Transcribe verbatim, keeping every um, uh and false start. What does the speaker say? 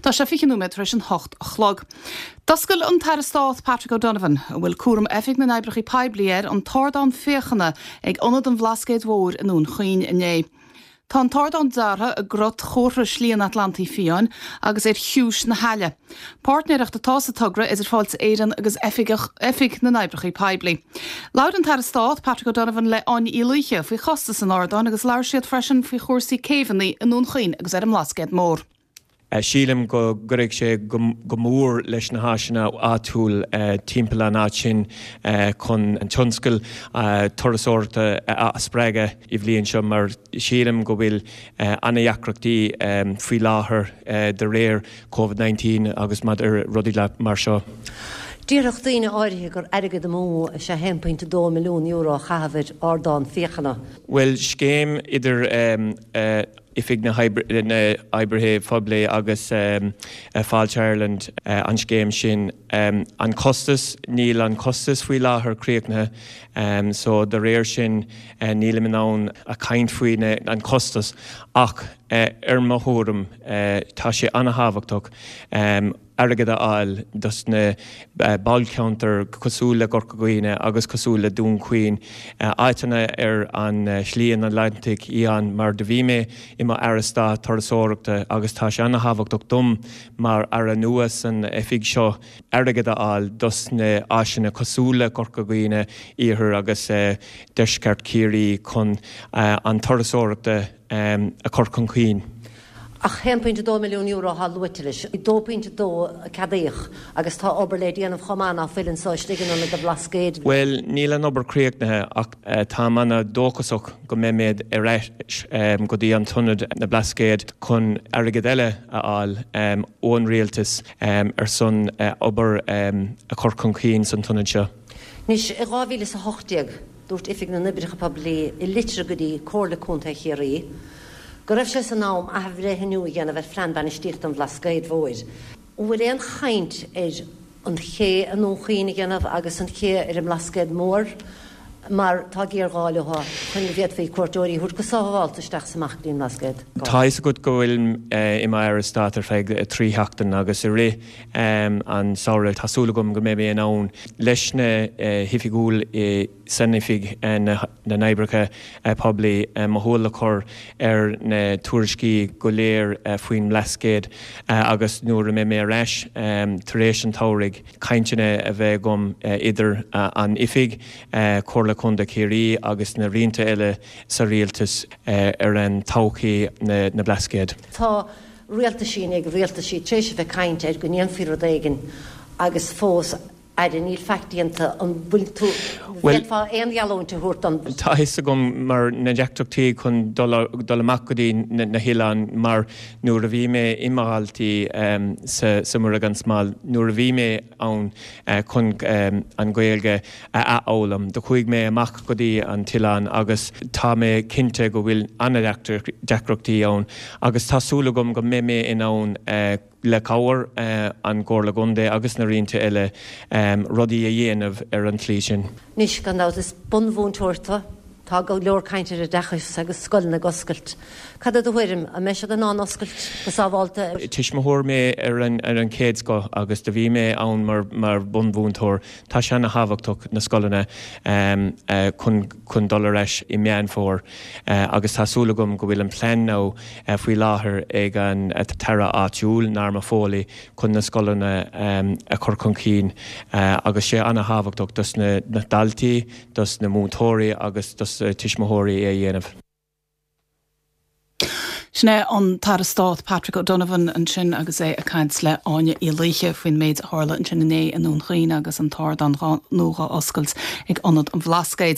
Tá sé fiche nóiméad tar éis an hocht a chlog. D'oscail an tAire Stáit Patrick O'Donovan, a bhfuil cúram Oifig na nOibreacha Poiblí air an t-ardán féachana ag Ionad an Bhlascaoid Mhóir i nDún Chaoin inné. Tá an t-ardán deartha i gcruth chomhartha Shlí an Atlantaigh Fiáin agus ar chiumhais na haille. Páirtnéireacht atá sa togra idir Fáilte Éireann agus Oifig na nOibreacha Poiblí. Labhair an tAire Stáit Patrick O'Donovan le Áine Uí Laoithe faoi chostas an ardáin agus labhair siad freisin faoi chúrsaí céibheanna i nDún Chaoin agus ar an mBlascaod Mór. Sílim go gcuirfidh sé go mór leis na háiseanna áitiúil timpeall an áit sin chun an tionscal turasóireachta a spreagadh i bhliain seo mar sílim go bhfuil an-deacrachtaí faoi láthair de réir COVID nineteen agus maidir rudaí mar seo. Déarfadh daoine áirithe gur airgead amú is ea haon pointe dó milliún euro a chaitheamh ar ardán féachana. Bhuel, scéim idir Oifig na nOibreacha Poiblí agus Fáilte Ireland an scéim sin. An costas, níl an costas faoi láthair críochnaithe, so de réir sin nílim in ann a caint faoi an costas ach ar mo thuairim tá sé an-thábhachtach airgead a fháil dos na bailte cosúil le Corca Dhuibhne agus cosúil le Dún Chaoin, áiteanna ar an Slí an Atlantaigh Fhiáin mar do bhí mé i mo Aire Stáit Turasóireachta agus tá sé an-thábhachtach dom mar aire nua san oifig seo airgead a fháil dos na áiseanna cosúil le Corca Dhuibhne, Iarthar agus Deisceart Chiarraí chun an turasóireachta a chur chun cinn. Ach haon pointe dó milliún euro atá luaite leis, dó pointe dó a ceadaíodh agus tá obair le déanamh chomh maith ná fuil anseo istigh in Ionad an Bhlascaoid. Bhuel, níl an obair críochnaithe ach táim an-dóchasach go mbeimid ar ais go dtí an tIonad na Blascaod chun airgead eile a fháil ón rialtas ar son obair a chur chun cinn san t-ionad seo. Anois, i dhá mhíle is a hocht déag, dúirt Oifig na nOibreacha Poiblí i litir go dtí Comhairle Contae Chiarraí go raibh sé san am athbhreithniú a dhéanamh ar phlean bainistíochta an Bhlascaoid Mhóir. An bhfuil aon chaint ar an ché i nDún Chaoin a dhéanamh agus an ché ar an mBlascaod Mór mar tá géarghá leo chun go bhféadfaí cuairteoirí a thabhairt go sábháilte isteach is amach go dtí an mBlascaod? Tá a fhios agat go bhfuil i m'Aire Stáit ar feadh trí sheachtain agus i rith an samhradh tá súil agam go mbeidh mé in ann leis na hoifigiúil i san Oifig na nOibreacha Poiblí mo shúil a chur ar na tuairiscí go léir faoin mBlascaod agus nuair a mbeidh mé ar ais tar éis an tsamhraidh, cainteanna a bheith agam idir an Oifig, Comhairle Contae Chiarraí agus na roinnte eile sa rialtas ar an todhchaí na Blascaod. Tá rialtaisí i ndiaidh rialtaisí tar éis a bheith ag caint ar go ndéanfaí rud éigin agus fós Aire, níl faic déanta. An bhfuil tú, bhféadfá aon gheallúint a thabhairt don. Tá a fhios agam mar na deacrachtaí chun dul dul amach go dtí na hoileáin mar nuair a bhí mé i mo dhaltaí sa Mhuire gan Smál, nuair a bhí mé ann chun an Ghaeilge a athfhoghlaim, do chuaigh mé amach go dtí an t-oileán agus tá mé cinnte go bhfuil an-deacrachtaí ann agus tá súil agam go mbeidh mé in ann le cabhair an Chomhairle Contae agus na roinnte eile, rudaí a dhéanamh ar an tslí sin. Anois, gan dabht, is bunmhúinteoir tú. Tá go leor cainte ar oideachas agus scoileanna ag oscailt. Cad é do thuairim? An mbeidh siad in ann oscailt go sábháilte? Tuismitheoir mé ar an chéad scoth agus do bhí mé ann mar bhunmhúinteoir. Tá sé ana-thábhachtach na scoileanna chun dul ar ais i Meán Fómhair agus tá súil agam go bhfuil an plean now faoi láthair ag an tAire áitiúil, Norma Foley, chun na scoileanna a chur chun cinn agus sé ana-thábhachtach dos na daltaí, dos na múinteoirí agus dos na tuismitheoirí é a dhéanamh. Sin é an tAire Stáit Patrick O'Donovan ansin agus é ag caint le Áine Uí Laoithe faoin méid a tharla ansin inné i nDún Chaoin agus an t-ardán nua á oscailt ag Ionad an Bhlascaoid.